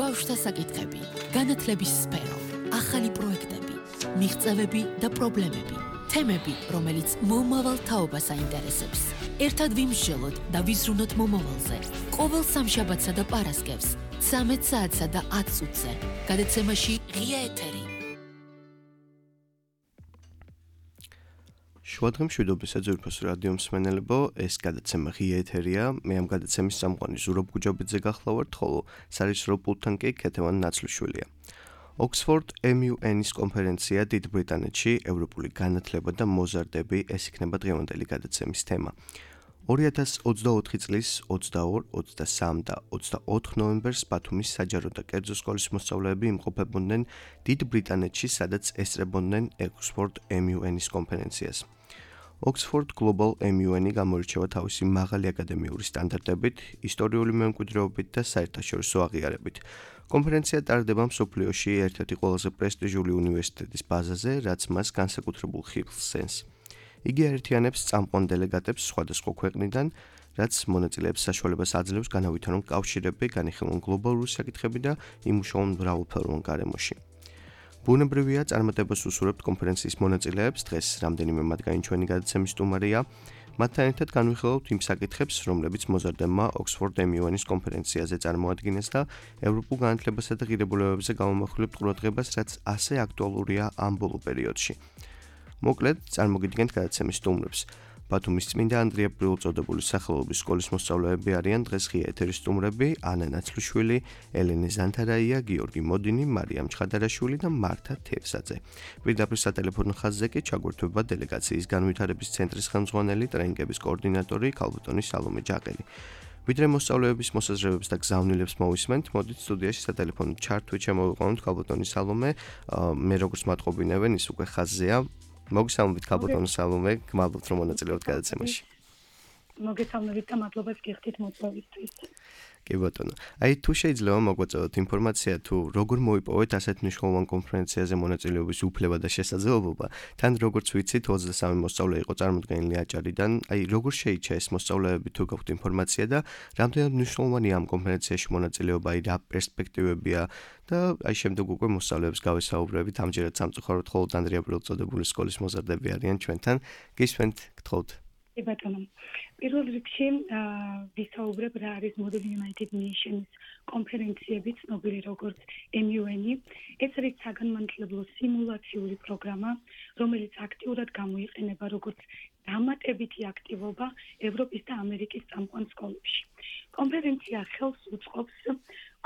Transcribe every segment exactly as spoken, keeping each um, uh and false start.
ბავშვთა საკითხები, განათლების სფერო, ახალი პროექტები, მიღწევები და პრობლემები, თემები, რომელიც მომავალ თაობას აინტერესებს. ერთად ვიმსჯელოთ და ვიზრუნოთ მომავალზე. ყოველ სამშაბათსა და პარასკევს, ცამეტ საათსა და ათ წუთზე. გადაცემაში ღია ეთერი. შუადღე მშვიდობისა ძვირფას რადიო მსმენელებო, ეს გადაცემა ღია ეთერია. მე ამ გადაცემის წამყვანი ზურაბ გუჯაბიძე გახლავართ, ხოლო სარისრო პულტთან კი ქეთევან ნაცლიშვილია. ოქსფორდ ემ იუ ენის კონფერენცია დიდ ბრიტანეთში, ევროპული განათლება და მოზარდები, ეს იქნება დღევანდელი გადაცემის თემა. ორი ათას ოცდაოთხი წლის ოცდაორი, ოცდასამი და ოცდაოთხ ნოემბერს ბათუმის საჯარო და კერძო სკოლის მოსწავლეები იმყოფებოდნენ დიდ ბრიტანეთში, სადაც ესწრებოდნენ ოქსფორდ ემ იუ ენის კონფერენციას. ოქსფორდ გლობალ ემ იუ ენი გამოირჩევა თავისი მაღალი აკადემიური სტანდარტებით, ისტორიული მემკვიდრეობით და საერთაშორისო აღიარებით. კონფერენცია ტარდება მსოფლიოში ერთ-ერთი ყველაზე პრესტიჟული უნივერსიტეტის ბაზაზე, რაც მას განსაკუთრებულ ხიბლს სცემს. იგი აერთიანებს წამყვან დელეგატებს სხვადასხვა ქვეყნიდან, რაც მონაწილეებს საშუალებას აძლევს განავითარონ კავშირები, განიხილონ გლობალური საკითხები და იმუშაონ მრავალფეროვან გარემოში. ბუნებრივია, წარმატებას უსურვებთ კონფერენციის მონაწილეებს, დღეს რამდენიმე მათგანი ჩვენი გადაცემის სტუმარია. მათთან ერთად განვიხილავთ იმ საკითხებს, რომლებიც მოზარდებმა ოქსფორდ ემ იუ ენის კონფერენციაზე წარმოადგინეს და ევროპულ განათლებასა და ღირებულებებზე გამომახვილებთ ყურადღებას, რაც ასე აქტუალურია ამ ბოლო პერიოდში. მოკლედ, წარმოგიდგენთ გადაცემის სტუმრებს. ბათუმის წმინდა ანდრია ბრიულწოდებული სახელობის სკოლის მოსწავლეები არიან დღეს ღია ეთერის სტუმრები: ანა ნაცლიშვილი, ელენე ზანთარაია, გიორგი მოდინი, მარიამ ჩხადარაშვილი და მართა თევზაძე. პირდაპირ სატელეფონო ხაზზე კი ჩაგვერთვება დელეგაციის განვითარების ცენტრის ხელმძღვანელი, ტრენინგების კოორდინატორი ქალბატონი სალომე ჯაყელი. ვიდრე მოსწავლეების მოსაზრებებს და გზავნილებს მოვისმენთ, მოდით სტუდიაში სატელეფონო ჩართვით შემოვიყვანოთ ქალბატონი სალომე. მე როგორც მათყობინებენ, ის უკვე ხაზზეა. მოგესალმებით ქალბატონი სალომე, გმადლობთ რომ მონაწილეობთ გადაცემაში. მოგესალმებით და მადლობა გიხდით მოწვევისთვის. კი ბატონო. აი თუ შეიძლება მოგვაწოდოთ ინფორმაცია თუ როგორ მოიპოვეთ ასეთ მნიშვნელოვან კონფერენციაზე მონაწილეობის უფლება და შესაძლებლობა, თან როგორც ვიცით ოცდასამი მოსწავლე იყო წარმოდგენილი აჭარიდან, აი როგორ შეიჩა ეს მოსწავლეები თუ გაქვთ ინფორმაცია და რამდენად მნიშვნელოვანია ამ კონფერენციაში მონაწილეობა, აი რა პერსპექტივებია და აი შემდეგ უკვე მოსწავლეებს გავესაუბრებით, ამჯერად სამწუხაროდ მხოლოდ ანდრია ბრიულწოდებული სკოლის მოზარდები არიან ჩვენთან. გისმენთ, გთხოვთ. კი ბატონო. პირველ რიგში ვისაუბრებ რა არის Model United Nations კონფერენციები, ცნობილი როგორც ემ იუ ენი. ეს არის საგანმანათლებლო სიმულაციური პროგრამა, რომელიც აქტიურად გამოიყენება როგორც დამატებითი აქტივობა ევროპის და ამერიკის წამყვან სკოლებში. კონფერენცია ხელს უწყობს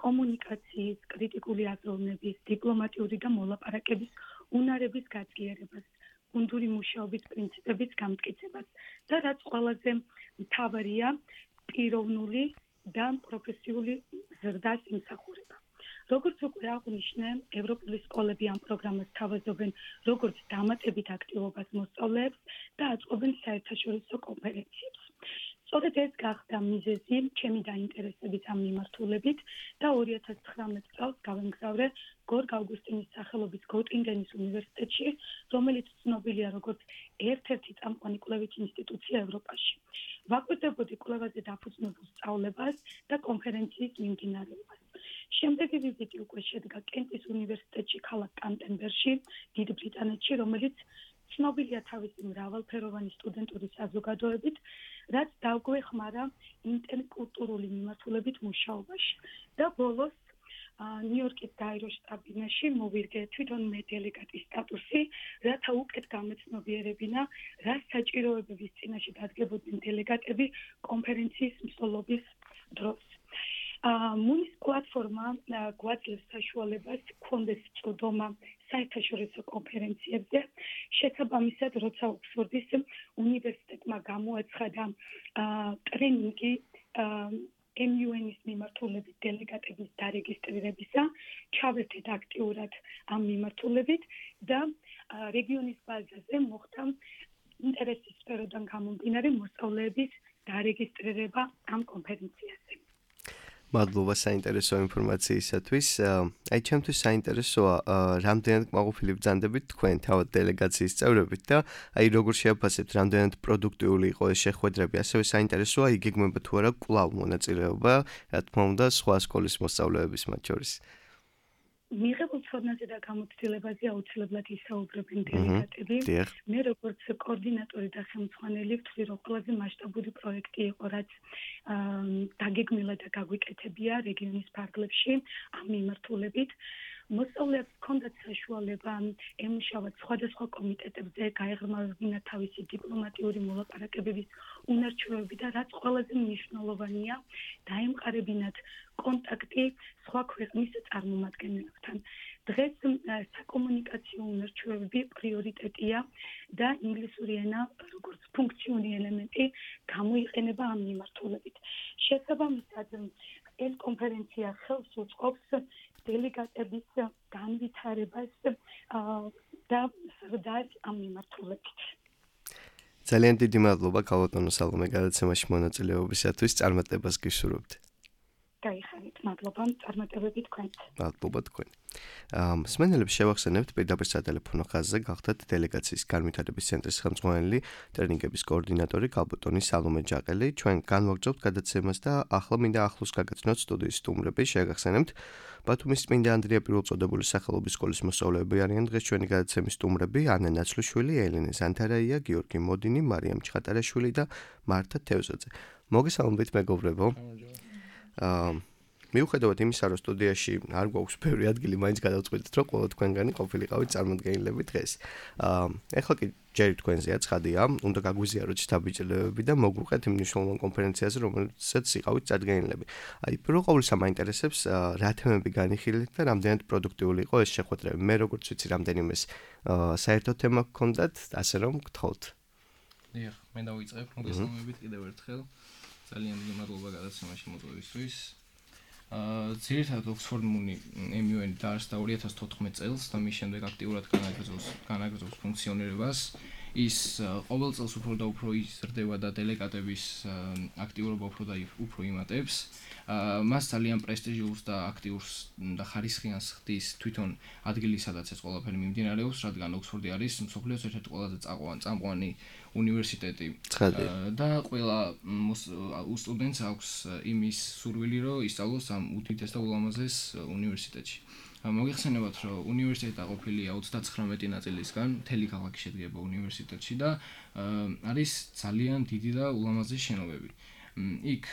კომუნიკაციის, კრიტიკული აზროვნების, დიპლომატიური და მოლაპარაკების უნარების გაძლიერებას, გუნდური მუშაობის პრინციპების გამტკიცებას და რაც ყველაზე მთავარია, პიროვნული და პროფესიული ზრდას იმსახურება. როგორც უკვე აღვნიშნე, ევროპული სკოლები ამ პროგრამას თავაზობენ როგორც დამატებით აქტივობას მოსწავლეებს და აწყობენ საერთაშორისო კონფერენციებს. სწორედ ეს გახდა მიზეზი ჩემი დაინტერესების ამ მიმართულებით და ორი ათას ცხრამეტ წელს გავემგზავრე გორგ ავგუსტინის სახელობის გოტინგენის უნივერსიტეტში, რომელიც ცნობილია როგორც ერთ-ერთი წამყვანი კვლევითი ინსტიტუცია ევროპაში. ვაკვირდებოდი კვლევაზე დაფუძნებულ სწავლებას და კონფერენციის მიმდინარეობას. შემდეგი ვიზიტი უკვე შედგა კენტის უნივერსიტეტში ქალაქ კანტერბერში, დიდ ბრიტანეთში, რომელიც ცნობილია თავისი მრავალფეროვანი სტუდენტური საზოგადოებით, რაც დაგვეხმარა ინტერკულტურული მიმართულებით მუშაობაში. და ბოლოს ნიუ-იორკის გაეროს შტაბ-ბინაში მოვირგე თვითონ მე დელეგატის სტატუსი, რათა უკეთ გამეცნობიერებინა, რა საჭიროებების წინაშე დადგებოდნენ დელეგატები კონფერენციის მსვლელობის დროს. მუნის პლატფორმა გვაძლევს საშუალებას გქონდეს წვდომა საერთაშორისო კონფერენციებზე. შესაბამისად, როცა ოქსფორდის უნივერსიტეტმა გამოაცხადა ტრენინგი ემ იუ ენის მიმართულებით დელეგატების დარეგისტრირებისა, ჩავერთეთ აქტიურად ამ მიმართულებით და რეგიონის ბაზაზე მოხდა ინტერესის სფეროდან გამომდინარე მოსწავლეების დარეგისტრირება ამ კონფერენციაზე. მადლობა საინტერესო ინფორმაციისათვის. აი ჩემთვის საინტერესოა რამდენად კმაყოფილი ბრძანდებით თქვენ თავად დელეგაციის წევრებით და აი როგორ შეაფასებთ რამდენად პროდუქტიული იყო ეს შეხვედრები. ასევე საინტერესოა იგეგმება თუ არა კვლავ მონაწილეობა, რა თქმა უნდა, სხვა სკოლის მოსწავლეების მათ შორის. მიღებულ ცოდნაზე და გამოცდილებაზე აუცილებლად ისაუბრებენ დელეგატები. მე როგორც კოორდინატორი და ხელმძღვანელი ვთვლი, რომ ყველაზე მასშტაბური პროექტი იყო, რაც დაგეგმილა და გაგვიკეთებია რეგიონის ფარგლებში ამ მიმართულებით. მოსწავლეებს ჰქონდათ საშუალება ემუშავათ სხვადასხვა კომიტეტებზე, გაეღრმავებინათ თავისი დიპლომატიური მოლაპარაკებების უნარჩვევები და რაც ყველაზე მნიშვნელოვანია, დაემყარებინათ კონტაქტი სხვა ქვეყნის წარმომადგენლებთან. დღეს საკომუნიკაციო უნარჩვევები პრიორიტეტია და ინგლისური ენა როგორც ფუნქციური ელემენტი გამოიყენება ამ მიმართულებით. შესაბამისად, ეს კონფერენცია ხელს უწყობს დელეგატების განვითარებას და ზრდას ამ მიმართულებით. ძალიან დიდი მადლობა ქალბატონო სალომე გადაცემაში მონაწილეობისათვის. წარმატებას გისურვებთ. გაიხარით, მადლობა წარმატებები თქვენთ. მადლობა თქვენ. მსმენელებს შევახსენებთ პირდაპირ სატელეფონო ხაზზე გახდათ დელეგაციის განვითარების ცენტრის ხელმძღვანელი, ტრენინგების კოორდინატორი ქალბატონი სალომე ჯაყელი. ჩვენ განვაგრძობთ გადაცემას და ახლა მინდა ახლოს გაგაცნოთ სტუდიის სტუმრები. შევახსენებთ ბათუმის წმინდა ანდრია პირველწოდებული სახელობის სკოლის მოსწავლეები არიან დღეს ჩვენი გადაცემის სტუმრები: ანა ნაცლუშვილი, ელენე ზანთარაია, გიორგი მოდინი, მარიამ ჩხატარაშვილი და მართა თევზაძე. მოგესალმებით მეგობრებო. აა მიუხედავად იმისა, რომ სტუდიაში არ გვაქვს ბევრი ადგილი, მაინც გადავწყვიტეთ, რომ ყველა თქვენგანი ყოფილიყავით წარმოდგენილები დღეს. აა ეხლა კი ჯერ თქვენზეა ცხადია, უნდა გაგვიზიაროთ შთაბეჭდილებები და მოგვუყეთ იმ მნიშვნელოვან კონფერენციაზე, რომელსაც იყავით წარდგენილები. აი, პირველ ყოვლისა მაინტერესებს რა თემები განიხილეთ და რამდენად პროდუქტიული იყო ეს შეხვედრები. მე როგორც ვიცი, რამდენიმეს საერთო თემა გქონდათ, ასე რომ გთხოვთ. დიახ, მე დავიწყებ, მოგესალმებით კიდევ ერთხელ. ძალიან დიდი მადლობა გადაცემაში მოწვევისთვის. აა ძირითადად ოქსფორდ მუნი ემ იუ ენ დაარსდა ორი ათას თოთხმეტ წელს და მის შემდეგ აქტიურად განაგრძობს განაგრძობს ფუნქციონირებას. ის ყოველ წელს უფრო და უფრო იზრდება და დელეგატების აქტიურობა უფრო და უფრო იმატებს. აა მას ძალიან პრესტიჟიულს და აქტიურს და ხარისხიანს ხდის თვითონ ადგილი, სადაც ეს ყველაფერი მიმდინარეობს, რადგან ოქსფორდი არის მსოფლიოს ერთ-ერთი ყველაზე წამყვანი უნივერსიტეტი და ყველა სტუდენტს აქვს იმის სურვილი, რომ ისწავლოს ამ უდიდეს და ულამაზეს უნივერსიტეტში. მოგეხსენებათ, რომ უნივერსიტეტი დაყოფილია ოცდაცხრამეტი ნაწილისგან, მთელი ქალაქი შედგება უნივერსიტეტში და არის ძალიან დიდი და ულამაზესი შენობები. იქ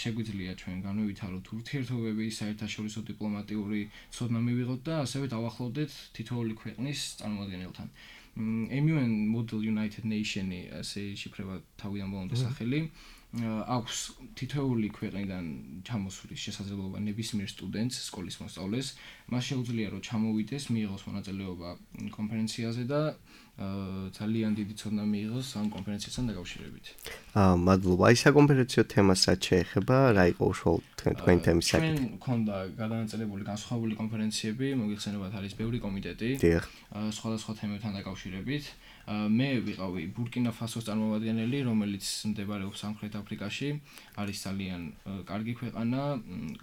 შეგვიძლია ჩვენ განვივითაროთ ურთიერთობები, საერთაშორისო დიპლომატიური ცოდნა მივიღოთ და ასევე დავახლოვდეთ თითოეული ქვეყნის წარმომადგენელთან. ემ იუ ენ Model United Nation-ი ასე შიფრება თავიდან ბოლომდე სახელი. აქვს თითოეული ქვეყნიდან ჩამოსვლის შესაძლებლობა ნებისმიერ სტუდენტს, სკოლის მოსწავლეს. მას შეუძლია რომ ჩამოვიდეს, მიიღოს მონაწილეობა კონფერენციაზე და ძალიან დიდი ცოდნა მიიღოს ამ კონფერენციასთან დაკავშირებით. აა მადლობა. აი საკონფერენციო თემასაც შეეხება, რა იყო უშუალოდ თქვენ თემის საკითხი? ჩვენ მქონდა გადანაწილებული განსხვავებული კონფერენციები, მოგეხსენებათ არის ბევრი კომიტეტი. დიახ. სხვადასხვა თემებთან დაკავშირებით. მე ვიყავი ბურკინა ფასოს წარმომადგენელი, რომელიც მდებარეობს სამხრეთ აფრიკაში, არის ძალიან კარგი ქვეყანა,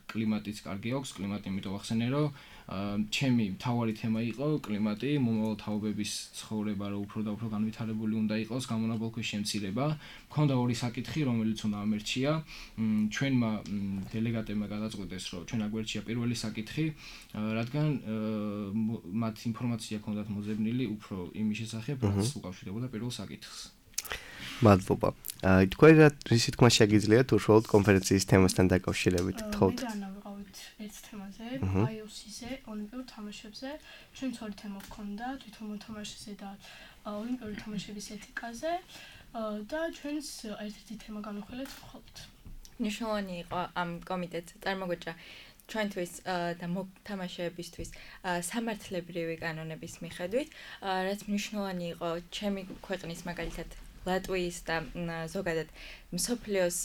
კლიმატიც კარგი აქვს, კლიმატი იმიტომ ვახსენე, რომ ჩემი მთავარი თემა იყო კლიმატი, მომავალ თაობების ცხოვრება, რომ უფრო და უფრო განვითარებული უნდა იყოს, გამონაბოლქვის შემცირება. მქონდა ორი საკითხი, რომელიც უნდა ამერჩია. ჩვენმა დელეგატებმა გადაწყვიტეს, რომ ჩვენ აგვერჩია პირველი საკითხი, რადგან მათ ინფორმაცია ჰქონდათ მოძებნილი უფრო იმის შესახებ, რაც უკავშირდებოდა პირველ საკითხს. მადლობა. აი თქვენ რა რისი თქმა შეგიძლიათ უშუალოდ კონფერენციის თემასთან დაკავშირებით, გთხოვთ? მე და ვიყავით ერთ თემაზე, აი ო სი-ზე, ოლიმპიურ თამაშებზე. ჩვენც ორი თემა ჰქონდა, თვითონ მოთამაშეზე და ოლიმპიური თამაშების ეთიკაზე და ჩვენს ერთ-ერთი თემა განვიხილეთ მხოლოდ. მნიშვნელოვანი იყო ამ კომიტეტს წარმოგვიჭრა ჩვენთვის და მოთამაშეებისთვის სამართლებრივი კანონების მიხედვით, რაც მნიშვნელოვანი იყო ჩემი ქვეყნის მაგალითად ლატვიის და ზოგადად მსოფლიოს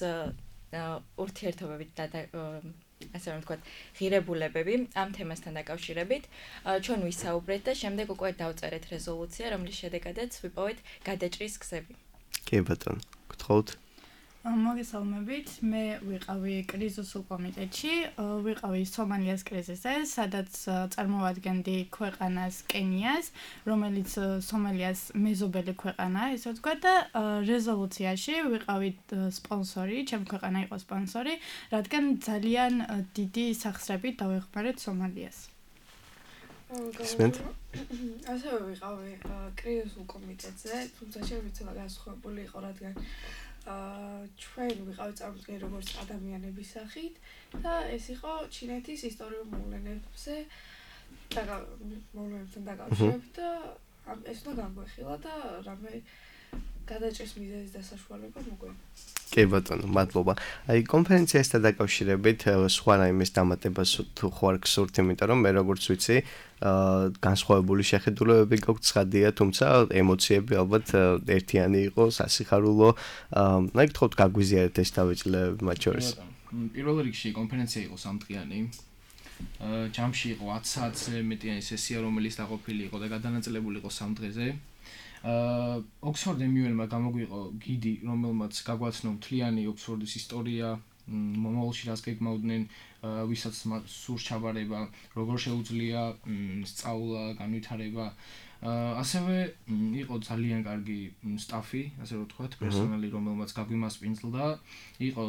ურთიერთობებით და ასე რომ ვთქვათ, ღირებულებები ამ თემასთან დაკავშირებით. ჩვენ ვისაუბრეთ და შემდეგ უკვე დავწერეთ რეზოლუცია, რომლის შედეგადაც ვიპოვეთ გადაჭრის გზები. კი ბატონო, გთხოვთ? მოგესალმებით. მე ვიყავი კრიზისულ კომიტეტში, ვიყავი სომალიის კრიზისზე, სადაც წარმოვადგენდი ქვეყანას კენიას, რომელიც სომალიის მეზობელი ქვეყანაა, ესე ვთქვათ და რეზოლუციაში ვიყავი სპონსორი, ჩემი ქვეყანა იყო სპონსორი, რადგან ძალიან დიდი სახსრებით დავეხმარეთ სომალიას. ისმენთ? ასევე ვიყავი კრიზისულ კომიტეტზე, თუმცა ჩემი ცოლა განსხვავებული იყო, რადგან ჩვენ ვიყავით წარმოდგენილი როგორც ადამიანების სახით და ეს იყო ჩინეთის ისტორიულ მოვლენებზე და მოვლენებთან დაკავშირებით და ეს უნდა განგვეხილა და რამე გადაჭრის მიზეზის დასაშუალება მოგვენა. კი ბატონო, მადლობა. აი კონფერენციასთან დაკავშირებით სხვა რაიმეს დამატებას თუ ხარ გსურთ, იმიტომ რომ მე როგორც ვიცი, განსხვავებული შეხედულებები გაქვს ცხადია, თუმცა ემოციები ალბათ ერთიანი იყო, სასიხარულო. აი გთხოვთ გაგვიზიარეთ ეს თავისუფლებები მათ შორის. პირველ რიგში კონფერენცია იყო სამდღიანი. ჯამში იყო ათი საათზე მეტიანი სესია, რომელიც დაყოფილი იყო და გადანაწილებული იყო სამ დღეზე. ოქსფორდ ემ იუ ენ-მა გამოგვიყო გიდი, რომელმაც გაგვაცნო მთლიანი ოქსფორდის ისტორია, მომავალში რას გეგმავდნენ, ვისაც სურს ჩაბარება, როგორ შეუძლია სწავლა, განვითარება. ასევე იყო ძალიან კარგი სტაფი, ასე რომ ვთქვათ, პერსონალი, რომელმაც გაგვიმასპინძლდა. იყო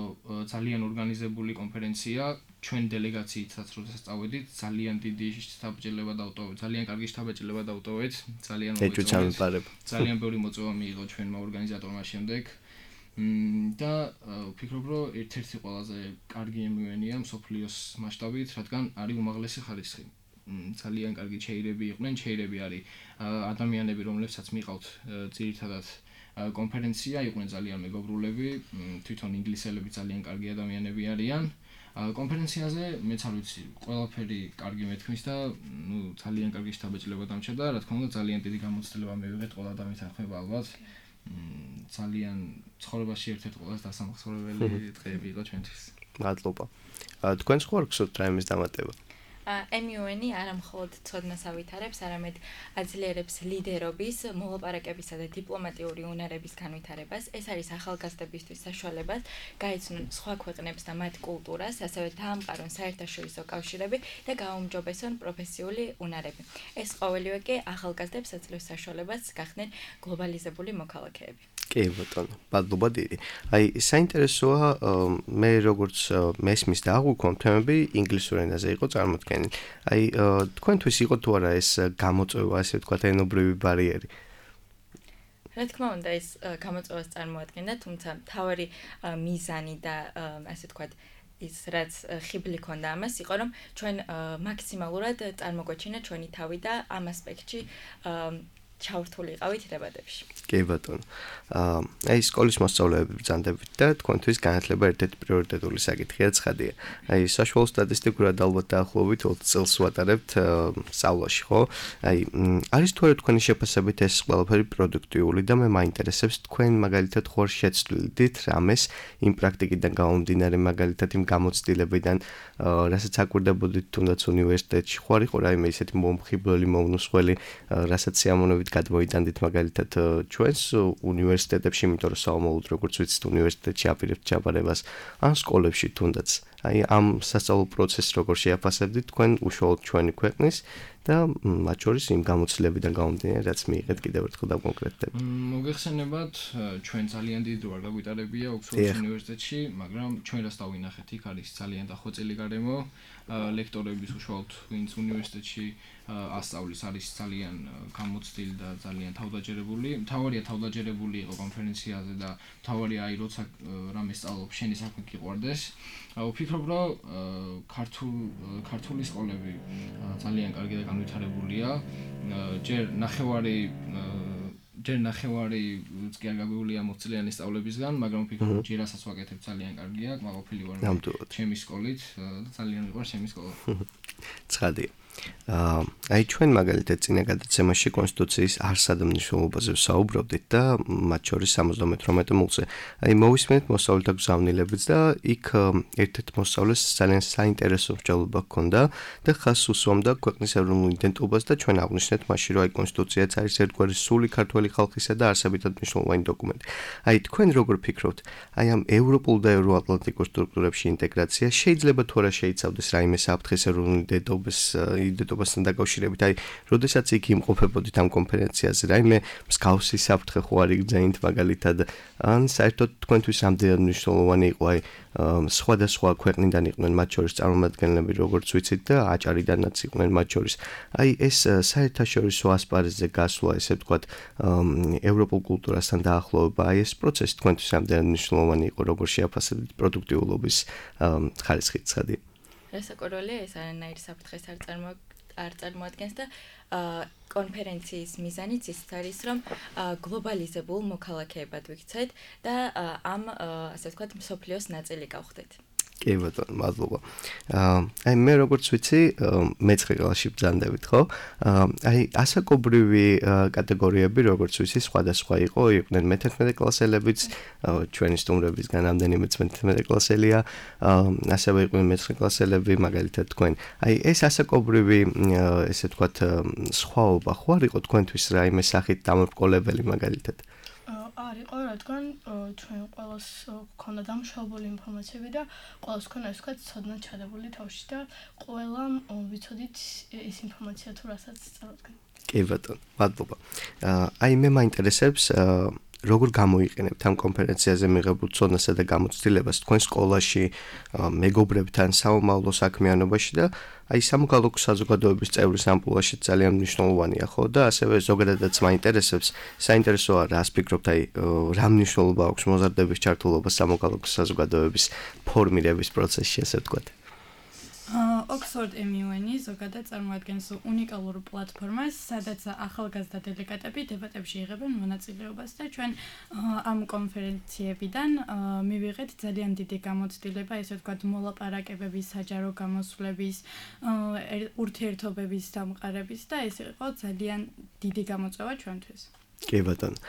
ძალიან ორგანიზებული კონფერენცია, ჩვენ დელეგაციითაც როდესაც წავედით, ძალიან დიდი შთაბეჭდილება დავტოვეთ, ძალიან კარგი შთაბეჭდილება დავტოვეთ, ძალიან მოიწონეთ. ძალიან ბევრი მოწვევა მიიღო ჩვენმა ორგანიზატორმა შემდეგ. და ვფიქრობ, რომ ერთ-ერთი ყველაზე კარგი ემ იუ ენ-ია მსოფლიოს მასშტაბით, რადგან არის უმაღლესი ხარისხი. ძალიან კარგი ჩეირები იყვნენ, ჩეირები არის ადამიანები, რომლებსაც მიყავთ ძირითადად კონფერენცია, იყვნენ ძალიან მეგობრულები, თვითონ ინგლისელები ძალიან კარგი ადამიანები არიან. კონფერენციაზე მეც არ ვიცი, ყველაფერი კარგი მეთქმის და ნუ ძალიან კარგი შთაბეჭდილება დამჭირდა, რა თქმა უნდა, ძალიან დიდი გამოცდილება მივიღეთ ყველა ადამიანთან ხმება ალბათ. ძალიან ცხოვრებაში ერთ-ერთი ყველაზე დასამახსოვრებელი დღეები იყო ჩვენთვის. მადლობა. თქვენ სხვა გსურთ რაიმეს დამატება? ემ იუ ენ-ი არა მხოლოდ ცოდნას ავითარებს, არამედ აძლიერებს ლიდერობის, მოლაპარაკებისა და დიპლომატიური უნარების განვითარებას. ეს არის ახალგაზრდებისთვის საშუალებას, გაიცნონ სხვა ქვეყნებს და მათ კულტურას, ასევე დაამყარონ საერთაშორისო კავშირები და გააუმჯობესონ პროფესიული უნარები. ეს ყოველივე კი ახალგაზრდებს აძლევს საშუალებას გახდნენ გლობალიზებული მოქალაქეები. კი ბატონო, მადლობა დიდი. აი საინტერესოა, მე როგორც მესმის და აღვიქვამთ თემები ინგლისურ ენაზე იყო წარმოდგენილი. აი თქვენთვის იყო თუ არა ეს გამოწვევა, ასე ვთქვათ, ენობრივი ბარიერი? რა თქმა უნდა, ეს გამოწვევას წარმოადგენდა, თუმცა მთავარი მიზანი და ასე ვთქვათ, ის რაც ხიბლი ქონდა ამას იყო, რომ ჩვენ მაქსიმალურად წარმოგვეჩინა ჩვენი თავი და ამ ასპექტში ჩავრთული იყავით დებატებში. კი ბატონო. აი სკოლის მოსწავლეები ბრძანდებით და თქვენთვის განათლება ერთ-ერთი პრიორიტეტული საკითხია, ცხადია. აი საშუალო სტატისტიკურად ალბათ დაახლოებით ოცი წელს ვატარებთ სწავლაში, ხო? აი არის თუ არა თქვენი შეფასებით ეს ყველაფერი პროდუქტიული და მე მაინტერესებს თქვენ მაგალითად ხوار შეცვლილდით რამეს იმ პრაქტიკიდან გამომდინარე მაგალითად იმ გამოცდილებიდან, რასაც აკვირდებოდით თუნდაც უნივერსიტეტში, ხوار იყო რაიმე ისეთი მომხიბლელი მომნუსხველი, რასაც სიამოვნებით გადმოიტანდით მაგალითად ჩვენს უნივერსიტეტებში, იმიტომ რომ საომოლოდ როგორც ვიცით უნივერსიტეტში აპირებთ ჩაბარებას ან სკოლებში თუნდაც. აი ამ სასწავლო პროცესს როგორ შეაფასებდით თქვენ უშუალოდ ჩვენი ქვეყნის და მათ შორის იმ გამოცდილებიდან გამომდინარე, რაც მიიღეთ კიდევ ერთხელ დავკონკრეტდები. მოგეხსენებათ, ჩვენ ძალიან დიდი დრო არ გაგვიტარებია ოქსფორდის უნივერსიტეტში, მაგრამ ჩვენ რას დავინახეთ, იქ არის ძალიან დახვეწილი გარემო, ლექტორების უშუალოდ ვინც უნივერსიტეტში ასწავლის არის ძალიან გამოცდილი და ძალიან თავდაჯერებული. მთავარია თავდაჯერებული იყო კონფერენციაზე და მთავარია აი როცა რამე სწავლობ, შენი საქმე გიყვარდეს. ვფიქრობ, რომ ქართული სკოლები ძალიან კარგი და განვითარებულია. ჯერ ნახევარი ჯერ ნახევარი კი არ გაგვიულია მოცილიანი სწავლებისგან, მაგრამ ვფიქრობ, ჯერ რასაც ვაკეთებ ძალიან კარგია, კმაყოფილი ვარ ჩემი სკოლით და ძალიან მიყვარს ჩემი სკოლა. ცხადია. აი ჩვენ მაგალითად წინა გადაცემაში კონსტიტუციის არსად მნიშვნელობაზე ვსაუბრობდით და მათ შორის სამოცდამეთვრამეტე მულზე. აი მოვისმენთ მოსწავლეთა გზავნილებიც და იქ ერთ-ერთ მოსწავლეს ძალიან საინტერესო მსჯელობა ჰქონდა და ხაზს უსვამდა ქვეყნის ეროვნულ იდენტობას და ჩვენ აღვნიშნეთ მაშინ რომ აი კონსტიტუციაც არის ერთგვარი სული ქართველი ხალხისა და არსებითად მნიშვნელოვანი დოკუმენტი. აი თქვენ როგორ ფიქრობთ, აი ამ ევროპულ და ევროატლანტიკურ სტრუქტურებში ინტეგრაცია შეიძლება თუ არა შეიცავდეს რაიმე საფრთხეს ეროვნული დედობის იდენტობასთან დაკავშირებით, აი როდესაც იქ იმყოფებოდით ამ კონფერენციაზე, რაიმე მსგავსი საფრთხე ხო არ იგრძენით მაგალითად, ან საერთოდ თქვენთვის რამდენად მნიშვნელოვანი იყო აი სხვადასხვა ქვეყნიდან იყვნენ მათ შორის წარმომადგენლები, როგორც ვიცით და აჭარიდანაც იყვნენ მათ შორის. აი ეს საერთაშორისო ასპარეზზე გასვლა, ესე ვთქვათ, ევროპულ კულტურასთან დაახლოვება, აი ეს პროცესი თქვენთვის რამდენად მნიშვნელოვანი იყო, როგორ შეაფასებთ პროდუქტიულობის ხარისხით ცხადი? რასაკვირველია, ეს არანაირი საფრთხეს არ წარმოადგენს არ წარმოადგენს და კონფერენციის მიზანიც ის არის, რომ გლობალიზებულ მოქალაქეებად ვიქცეთ და ამ, ასე ვთქვათ, მსოფლიოს ნაწილი გავხდეთ. კი ბატონო, მადლობა. აი მე როგორც ვიცი, მეცხრე კლასში ბრძანდებით, ხო? აი ასაკობრივი კატეგორიები, როგორც ვიცი, სხვადასხვა იყო, იყვნენ მეთერთმეტე კლასელებიც, ჩვენი სტუმრებისგან რამდენიმე მეთერთმეტე კლასელია, ასევე იყვნენ მეცხრე კლასელები, მაგალითად თქვენ. აი ეს ასაკობრივი, ესე ვთქვათ, სხვაობა ხო არ იყო თქვენთვის რაიმე სახით დამრბყოლებელი მაგალითად? არ იყო, რადგან ჩვენ ყველას გქონდა დამუშავებული ინფორმაციები და ყველას გქონდა ეს ვთქვათ ცოდნა ჩადებული თავში და ყველამ ვიცოდით ეს ინფორმაცია თუ რასაც წარადგენ. კი ბატონო, მადლობა. აი მე მაინტერესებს როგორ გამოიყენებთ ამ კონფერენციაზე მიღებულ ცოდნასა და გამოცდილებას თქვენ სკოლაში, მეგობრებთან, საომავლო საქმიანობაში და აი სამოქალაქო საზოგადოების წევრის ამპულაში ძალიან მნიშვნელოვანია, ხო? და ასევე ზოგადადაც მაინტერესებს, საინტერესოა რას ფიქრობთ, აი რა მნიშვნელობა აქვს მოზარდების ჩართულობა სამოქალაქო საზოგადოების ფორმირების პროცესში, ასე ვთქვათ. Oxford M U N ზოგადად წარმოადგენს უნიკალურ პლატფორმას, სადაც ახალგაზრდა დელეგატები დებატებში იღებენ მონაწილეობას და ჩვენ ამ კონფერენციებიდან მივიღეთ ძალიან დიდი გამოცდილება, ესე ვთქვათ, მოლაპარაკებების, საჯარო გამოსვლების, ურთიერთობების დამყარების და ეს იყო ძალიან დიდი გამოწვევა ჩვენთვის. კი ბატონო.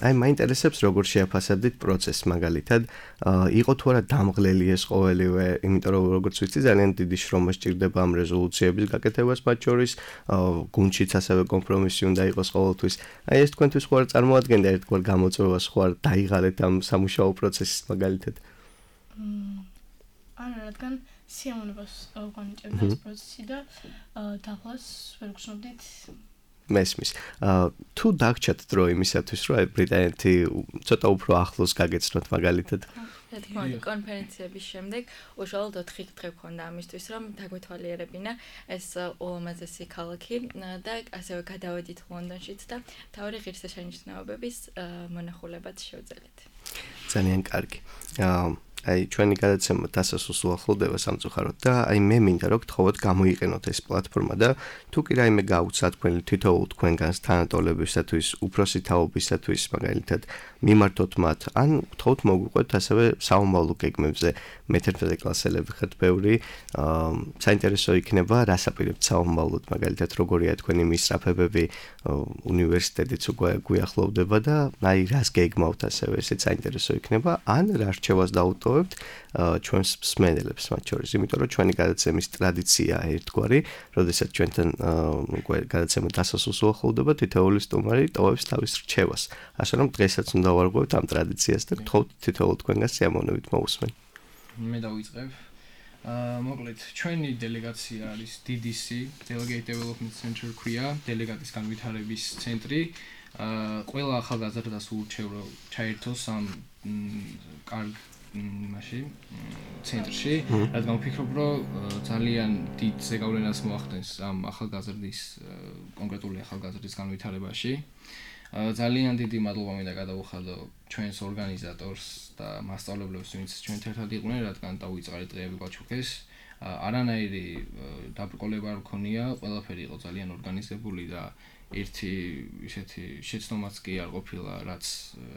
აი მაინტერესებს როგორ შეაფასებდით პროცესს მაგალითად, იყო თუ არა დამღლელი ეს ყოველივე, იმიტომ რომ როგორც ვიცი, ძალიან დიდი შრომა სჭირდება ამ რეზოლუციების გაკეთებას მათ შორის, გუნდშიც ასევე კომპრომისი უნდა იყოს ყოველთვის. აი ეს თქვენთვის ხო არ წარმოადგენდა ერთგვარ გამოწვევას, ხო არ დაიღალეთ ამ სამუშაო პროცესს მაგალითად? არა, რადგან სიამოვნებას განიჭებდა ეს პროცესი და დაღლას ვერ გრძნობდით. მესმის. თუ დაგჭათ დრო იმისათვის, რომ ბრიტანეთი ცოტა უფრო ახლოს გაგეცნოთ მაგალითად. რა თქმა უნდა, კონფერენციების შემდეგ უშუალოდ ოთხი დღე გქონდა ამისთვის, რომ დაგვეთვალიერებინა ეს ულამაზესი ქალაქი და ასევე გადავედით ლონდონშიც და მთავარი ღირსშესანიშნაობების მონახულებაც შევძელით. ძალიან კარგი. აი ჩვენი გადაცემა დასასრულს უახლოვდება სამწუხაროდ და აი მე მინდა რომ გთხოვოთ გამოიყენოთ ეს პლატფორმა და თუ კი რაიმე გაუცათ თქვენ თითოეულ თქვენგანს თანატოლებისათვის, უფროსი თაობისათვის მაგალითად მიმართოთ მათ, ან გთხოვთ მოგვიყვეთ ასევე საომავლო გეგმებზე მეთერთმეტე კლასელები ხართ ბევრი, საინტერესო იქნება რას აპირებთ საომავლოდ მაგალითად როგორია თქვენი მისწრაფებები, უნივერსიტეტიც უკვე გვიახლოვდება და აი რას გეგმავთ ასევე ესეც საინტერესო იქნება, ან რა რჩევას დაუტოვებთ ჩვენს მსმენელებს მათ შორის, იმიტომ რომ ჩვენი გადაცემის ტრადიციაა ერთგვარი, როდესაც ჩვენთან უკვე გადაცემა დასასრულს უახლოვდება, თითოეული სტუმარი ტოვებს თავის რჩევას. ასე რომ დღესაც უნდა ვარღვევთ ამ ტრადიციას და გთხოვთ თითოეულ თქვენგანს სიამოვნებით მოусმენ. მე დავიწყებ. აა მოკლედ, ჩვენი დელეგაცია არის D D C, Delegate Development Center ქვია, დელეგატის განვითარების ცენტრი. აა ყველა ახალგაზრდას ურჩევ რომ ჩაერთოს ამ კარგ მაშინ ცენტრში, რადგან ვფიქრობ, რომ ძალიან დიდ ზეგავლენას მოახდენს ამ ახალგაზრდის კონკრეტული ახალგაზრდის განვითარებაში. ძალიან დიდი მადლობა მინდა გადაუხადო ჩვენს ორგანიზატორს და მასწავლებლებს, ვინც ჩვენთან ერთად იყვნენ, რადგან დავიწყარი დღეები გვაჩუქეს. არანაირი დაბრკოლება არ მქონია, ყველაფერი იყო ძალიან ორგანიზებული და ერთი ისეთი შეცდომაც კი არ ყოფილა, რაც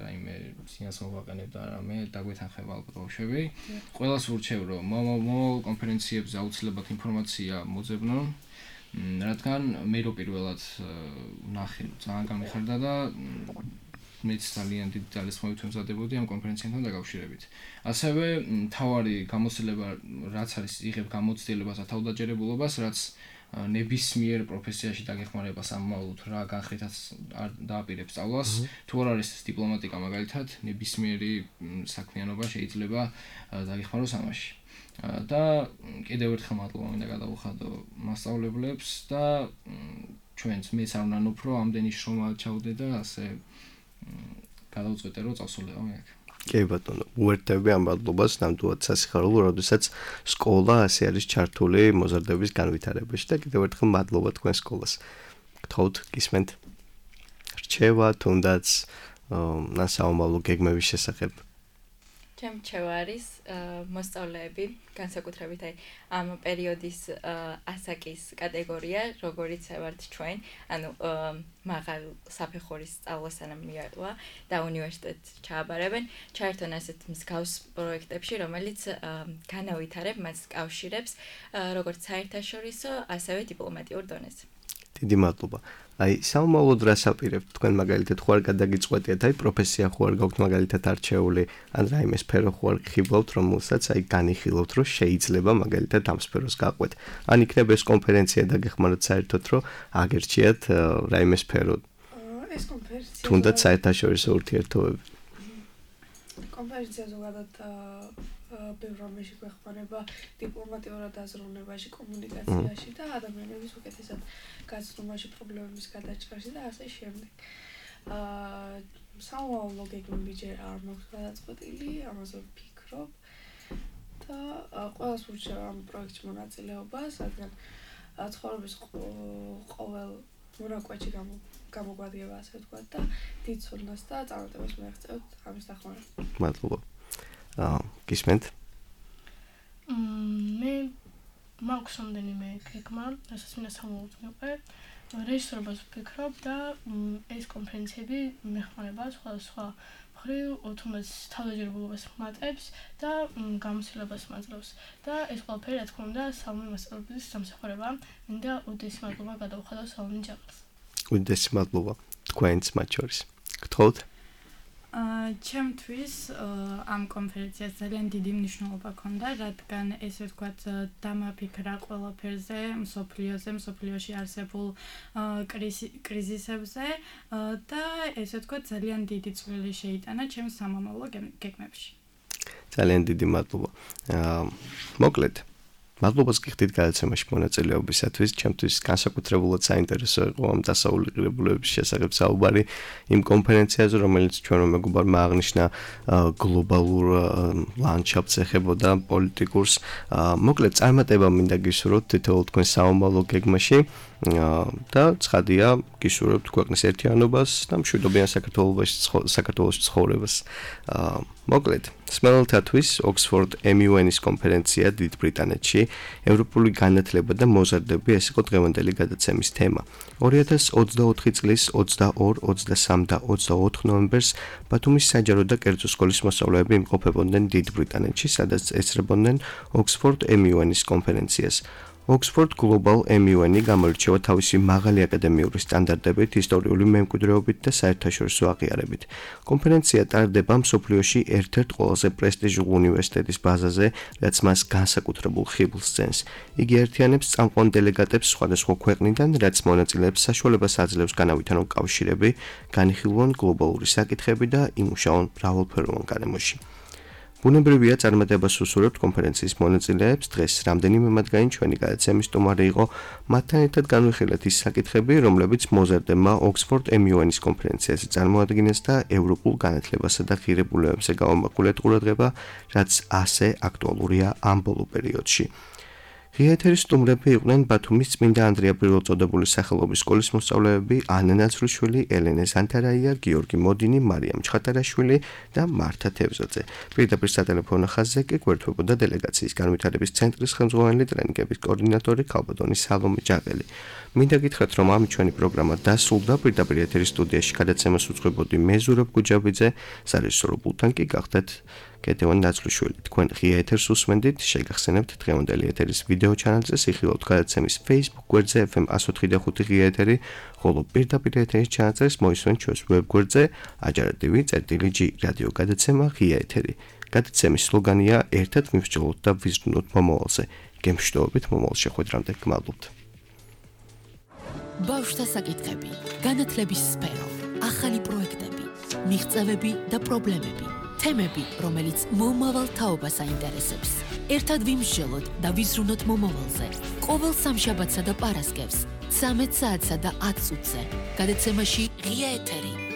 რაიმე სინას მოვაყენებდა რამე დაგვეთანხება ალბათ ბავშვები. ყველას ვურჩევ, რომ მომავალ კონფერენციებზე აუცილებლად ინფორმაცია მოძებნონ, რადგან მე რო პირველად ნახე, ძალიან გამიხარდა და მეც ძალიან დიდი ძალისხმევით ვემზადებოდი ამ კონფერენციასთან დაკავშირებით. ასევე მთავარი გამოცდილება რაც არის იღებ გამოცდილებას და თავდაჯერებულობას, რაც ნებისმიერ პროფესიაში დაგეხმარება სამომავლოდ რა განხრითაც არ დააპირებს სწავლას, თუ არ არის დიპლომატიკა მაგალითად, ნებისმიერი საქმიანობა შეიძლება დაგეხმაროს ამაში. და კიდევ ერთხელ მადლობა მინდა გადავუხადო მასწავლებლებს და ჩვენც მეც არ უნდა უფრო ამდენი შრომა ჩავდე და ასე გადავწყვეტე რომ წავსულიყო მე აქ. კი ბატონო, უერთდები ამ მადლობას ნამდვილად სასიხარულო, როდესაც სკოლა ასე არის ჩართული მოზარდების განვითარებაში და კიდევ ერთხელ მადლობა თქვენ სკოლას. გთხოვთ, გისმენთ რჩევა თუნდაც სასაომავლო გეგმების შესახებ. ჩემ რჩევა არის მოსწავლეები, განსაკუთრებით აი ამ პერიოდის ასაკის კატეგორია, როგორიც ვართ ჩვენ, ანუ მაღალ საფეხურის სწავლასთან მიატოვა და უნივერსიტეტს ჩააბარებენ, ჩაერთონ ასეთ მსგავს პროექტებში, რომელიც განავითარებ მას კავშირებს, როგორც საერთაშორისო, ასევე დიპლომატიურ დონეზე. დიდი მადლობა. აი, სამომავლოდ რას აპირებთ თქვენ მაგალითად ხო არ გადაგიწყვეტიათ, აი პროფესია ხო არ გაქვთ მაგალითად არჩეული, ან რაიმე სფერო ხო არ გხიბლავთ, რომელსაც აი განიხილავთ, რომ შეიძლება მაგალითად ამ სფეროს გაყვეთ. ან იქნება ეს კონფერენცია დაგეხმაროთ საერთოდ, რომ აგერჩიათ რაიმე სფერო. ეს კონფერენცია თუნდაც საერთაშორისო ურთიერთობები. კონფერენცია ზოგადად ბევრ რამეში გვეხმარება დიპლომატიურად აზროვნებაში, კომუნიკაციაში და ადამიანების უკეთესად გაცნობაში, პრობლემების გადაჭრაში და ასე შემდეგ. აა სამომავლო გეგმები ჯერ არ მაქვს გადაწყვეტილი, ამაზე ვფიქრობ და ყველას ვურჩევ ამ პროექტში მონაწილეობას, რადგან ცხოვრების ყოველ მონაკვეთში გამოგვადგება, ასე ვთქვათ და დიდ ცოდნას და წარმატებას მიაღწევთ ამის დახმარებით. მადლობა. აა გისმენთ? მე მაქვს რამდენიმე გეგმა, რასაც მინდა სამომავლოდ მივყე. რეჟისორობას ვფიქრობ და ეს კონფერენციები მეხმარება სხვადასხვა მხრივ, თუნდაც თავდაჯერებულობას მატებს და გამოცდილებას მაძლევს. და ეს ყველაფერი, რა თქმა უნდა, სამი მასწავლებლის სამსახურებაა. მინდა უდიდესი მადლობა გადავუხადო სალომე ჯაყელს. უდიდესი მადლობა თქვენს მათ შორის. გთხოვთ? ჩემთვის ამ კონფერენციას ძალიან დიდი მნიშვნელობა ჰქონდა, რადგან ესე ვთქვათ, დამაფიქრა ყველაფერზე, მსოფლიოზე, მსოფლიოში არსებულ კრიზისებზე და ესე ვთქვათ, ძალიან დიდი წვლილი შეიტანა ჩემს სამომავლო გეგმებში. ძალიან დიდი მადლობა. მოკლედ მადლობას გიხდით გადაცემაში მონაწილეობისათვის. ჩემთვის განსაკუთრებულად საინტერესო იყო ამ დასავლურებულების შესახებ საუბარი იმ კონფერენციაზე, რომელიც ჩვენო მეგობარმა აღნიშნა გლობალურ ლანდშაფტს ეხებოდა პოლიტიკურს. მოკლედ წარმატება მინდა გისურვოთ თითოეულ თქვენ საომავლო გეგმაში და ცხადია გისურვებთ ქვეყნის ერთიანობას და მშვიდობიან საქართველოში საქართველოს ცხოვრებას. მოკლედ სმელელთათვის ოქსფორდ ემ იუ ენის კონფერენცია დიდ ბრიტანეთში ევროპული განათლება და მოზარდები ეს იყო დღევანდელი გადაცემის თემა. ორი ათას ოცდაოთხი წლის ოცდაორი, ოცდასამი და ოცდაოთხ ნოემბერს ბათუმის საჯარო და კერძო სკოლის მოსწავლეები იმყოფებოდნენ დიდ ბრიტანეთში, სადაც ეცრებოდნენ ოქსფორდ ემ იუ ენის კონფერენციას. Oxford Global ემ იუ ენი გამოირჩევა თავისი მაღალი აკადემიური სტანდარტებით, ისტორიული მემკვიდრეობით და საერთაშორისო აღიარებით. კონფერენცია ტარდება მსოფლიოში ერთ-ერთ ყველაზე პრესტიჟულ უნივერსიტეტის ბაზაზე, რაც მას განსაკუთრებულ ხიბლს ძენს. იგი ერთიანებს წამყვან დელეგატებს სხვადასხვა ქვეყნიდან, რაც მონაწილეებს საშუალებას აძლევს განავითარონ კავშირები, განიხილონ გლობალური საკითხები და იმუშაონ მრავალფეროვან გარემოში. ბუნებრივია წარმატებას უსურვებთ კონფერენციის მონაწილეებს. დღეს რამდენიმე მათგანი ჩვენი გადაცემის სტუმარი იყო. მათთან ერთად განვიხილეთ ის საკითხები, რომლებიც მოზარდებმა ოქსფორდ ემ იუ ენის კონფერენციაზე წარმოადგინეს და ევროპულ განათლებასა და ღირებულებებზე გაუმახვილეთ ყურადღება, რაც ასე აქტუალურია ამ ბოლო პერიოდში. ღია ეთერის სტუმრები იყვნენ ბათუმის წმინდა ანდრია პირველწოდებული სახელობის სკოლის მოსწავლეები ანა ნაცრუშვილი, ელენე ზანთარაია, გიორგი მოდინი, მარიამ ჩხატარაშვილი და მართა თევზაძე. პირდაპირ სატელეფონო ხაზზე კი გვერდთვებოდა დელეგაციის განვითარების ცენტრის ხელმძღვანელი ტრენინგების კოორდინატორი ქალბატონი სალომე ჯაყელი. მინდა გითხრათ, რომ ამით ჩვენი პროგრამა დასრულდა. პირდაპირ ეთერის სტუდიაში გადაცემას უძღვებოდი მე ზურაბ გუჯაბიძე, სარეჟისორო პულტთან კი გახდათ კეთევან ნაცრუშვილი. თქვენ ღია ეთერს უსმენდით, შეგახსენებთ დღევანდელი ეთერის ვიდეო ჩანალზე, სიხილავთ გადაცემის Facebook გვერდზე ეფ ემ εκατს ოთხი და ხუთი ღია ეთერი, ხოლო პირდაპირ ეთერის ჩანალს მოისმენთ ჩვენს ვებ გვერდზე აჯარადივი წერტილი ჯი რადიო გადაცემა ღია ეთერი. გადაცემის სლოგანია ერთად ვიმსჯელოთ და ვიზრუნოთ მომავალზე. გემშვიდობებით მომავალ შეხვედრამდე. გმადლობთ. ბავშვთა საკითხები, განათლების სფერო, ახალი პროექტები, მიღწევები და პრობლემები, თემები, რომელიც მომავალ თაობას აინტერესებს. ერთად ვიმსჯელოთ და ვიზრუნოთ მომავალზე. ყოველ სამშაბათსა და პარასკევს, ცამეტ საათსა და ათ წუთზე. გადაცემაში ღია ეთერი.